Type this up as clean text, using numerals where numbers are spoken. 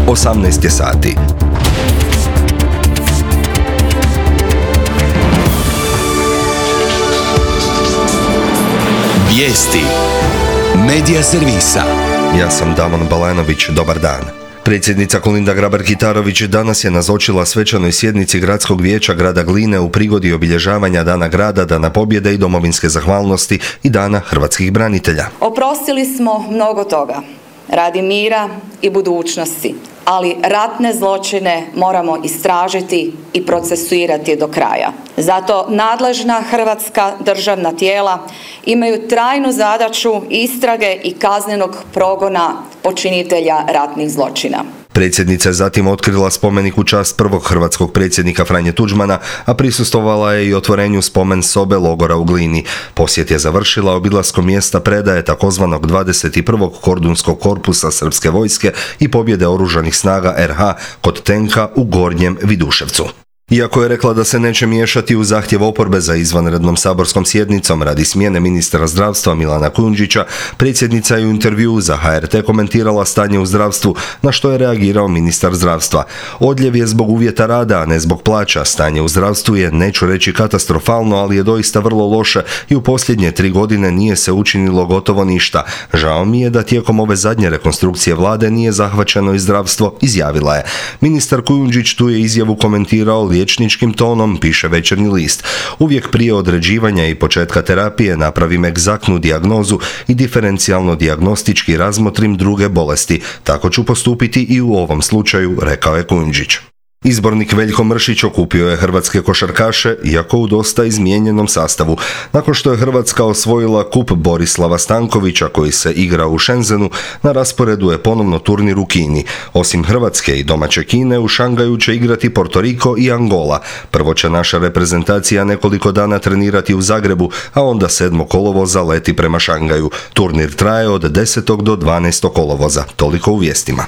18 je sati. Vijesti Medija servisa. Ja sam Damon Balenović, dobar dan. Predsjednica Kolinda Grabar-Kitarović danas je nazočila svečanoj sjednici Gradskog vijeća grada Gline u prigodi obilježavanja Dana grada, Dana pobjede i domovinske zahvalnosti i Dana hrvatskih branitelja. Oprostili smo mnogo toga radi mira i budućnosti, ali ratne zločine moramo istražiti i procesuirati do kraja. Zato nadležna hrvatska državna tijela imaju trajnu zadaću istrage i kaznenog progona počinitelja ratnih zločina. Predsjednica je zatim otkrila spomenik u čast prvog hrvatskog predsjednika Franje Tuđmana, a prisustvovala je i otvorenju spomen sobe logora u Glini. Posjet je završila obilaskom mjesta predaje takozvanog 21. kordunskog korpusa srpske vojske i pobjede oružanih snaga RH kod tenka u Gornjem Viduševcu. Iako je rekla da se neće miješati u zahtjev oporbe za izvanrednom saborskom sjednicom radi smjene ministra zdravstva Milana Kujundžića, predsjednica je u intervjuu za HRT komentirala stanje u zdravstvu, na što je reagirao ministar zdravstva. Odljev je zbog uvjeta rada, a ne zbog plaća. Stanje u zdravstvu je, neću reći katastrofalno, ali je doista vrlo loše i u posljednje 3 godine nije se učinilo gotovo ništa. Žao mi je da tijekom ove zadnje rekonstrukcije vlade nije zahvaćeno i zdravstvo, izjavila je. Ministar Kujundžić tu je izjavu komentirao liječničkim tonom, piše Večernji list. Uvijek prije određivanja i početka terapije napravim egzaktnu dijagnozu i diferencijalno dijagnostički razmotrim druge bolesti. Tako ću postupiti i u ovom slučaju, rekao je Kujundžić. Izbornik Veljko Mršić okupio je hrvatske košarkaše, iako u dosta izmijenjenom sastavu. Nakon što je Hrvatska osvojila kup Borislava Stankovića koji se igra u Shenzhenu, na rasporedu je ponovno turnir u Kini. Osim Hrvatske i domaće Kine, u Šangaju će igrati Porto Riko i Angola. Prvo će naša reprezentacija nekoliko dana trenirati u Zagrebu, a onda 7. kolovoza leti prema Šangaju. Turnir traje od 10. do 12. kolovoza. Toliko u vijestima.